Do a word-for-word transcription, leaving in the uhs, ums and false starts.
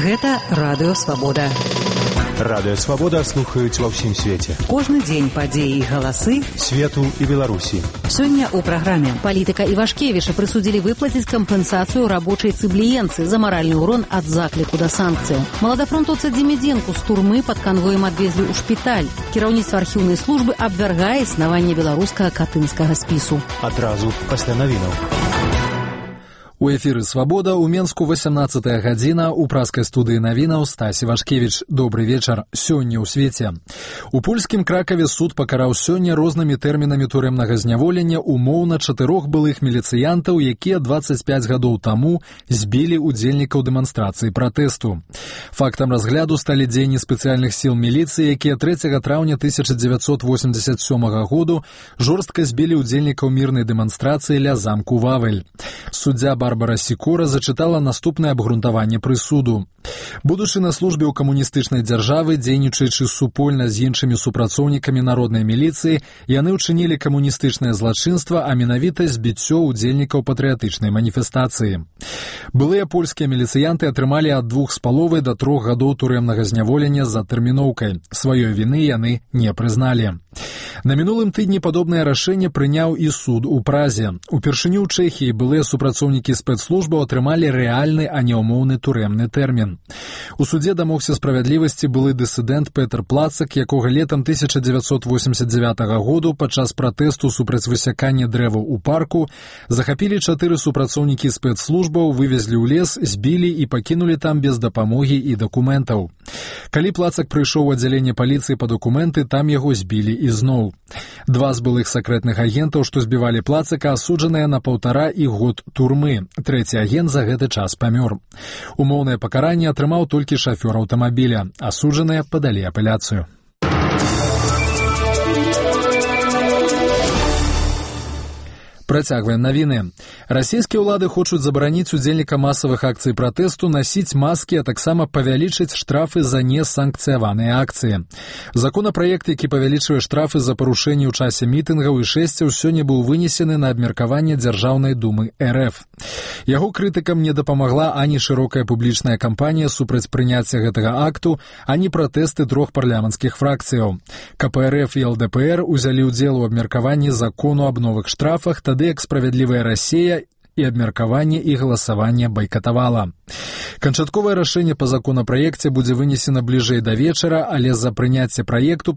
Гэта Радыё Свабода. Радыё Свабода слухаюць ва ўсім свеце. Кожны дзень падзеі і галасы свету і Беларусі. Сёння ў праграме палітыка Івашкевіча прысудзілі выплаціць кампенсацыю рабочай цыбліенцы за маральны ўрон ад закліку да санкцыяў. Маладафронтоўца Дземідзенку з турмы пад канвоем адвезлі ў шпіталь. Кіраўніцтва архіўнай службы абвяргае існаванне беларускага катынскага спісу. Адразу пасля навінаў. У эфіры «Свабода» у Менску восемнадцатая гадзіна, у праскай студыі навінаў Стась Івашкевіч. Добры вечар. Сёння ў свеце. У польскім Кракаве суд пакараў сёння рознымі тэрмінамі турэмнага зняволення умоўна чатырох былых міліцыянтаў, якія дваццаць пяць гадоў таму збілі удзельнікаў дэманстрацыі пратэсту. Фактам разгляду сталі дзеянні спецыяльных сіл міліцыі, якія трэцяга траўня тысяча дзевяцьсот восемьдесят сёмага году жорстка збілі удзельнікаў мірнай дэманстрацыі ля замку Вавель. Суддзя Барбара Сікора зачытала наступнае абгрунтаванне прысуду. Будучы на службе ў камуністычнай дзяржавы, дзейнічаючы супольна з іншымі супрацоўнікамі народнай міліцыі, яны ўчынілі камуністычнае злачынства, а менавіта збіццё ўдзельнікаў патрыятычнай маніфестацыі. Былыя польскія міліцыянты атрымалі ад двух з паловай да трох гадоў турэмнага зняволення за тэрміноўкай. Сваёй віны яны не прызналі. На мінулым тыдні падобнае рашэнне прыняў і суд у Празе. Упершыню ў Чэхіі былыя супрацоўнікі спецслужбаў атрымалі рэальны, а не ўмоўны турэмны тэрмін. У судзе дамогся справядлівасці былы дысідэнт Петр Плацак, якога летам тысяча дзевяцьсот восемьдесят девятага году падчас пратэсту супраць высякання дрэваў у парку захапілі чатыры супрацоўнікі спецслужбаў, вывезлі ў лес, збілі і пакінулі там без дапамогі і дакументаў. Калі Плацак прыйшоў у аддзяленне паліцыі па дакументы, там яго збілі ізноў. Два з былых сакрэтных агентаў, што збівалі Плацака, асуджаныя на паўтара і год турмы. Трэці агент за гэты час памёр. Умоўнае пакаранне атрымаў толькі шафёр аўтамабіля. Асуджаныя падалі апеляцыю. Працягваем навіны. Расійскія ўлады хочуць забараніць удзельнікам масавых акцый пратэсту насіць маскі, а таксама павялічыць штрафы за несанкцыяваныя акцыі. Законапраект, які павялічвае штрафы за парушэнні ў часе мітынгаў і шэсцяў, сёння быў вынесены на абмеркаванне Дзяржаўнай думы эр эф. Яго крытыкам не дапамагла ані шырокая публічная кампанія супраць прыняцця гэтага акту, ані пратэсты трох парламенцкіх фракцыяў. ка пэ эр эф і эл дэ пэ эр узялі ўдзел у абмеркаванні закону аб новых штрафах, тады як «Справядлівая Расія» і абмеркаванне і галасаванне байкатавала. Канчатковае рашэнне па законапраекце будзе вынесена бліжэй да вечара, але за прыняцце праекту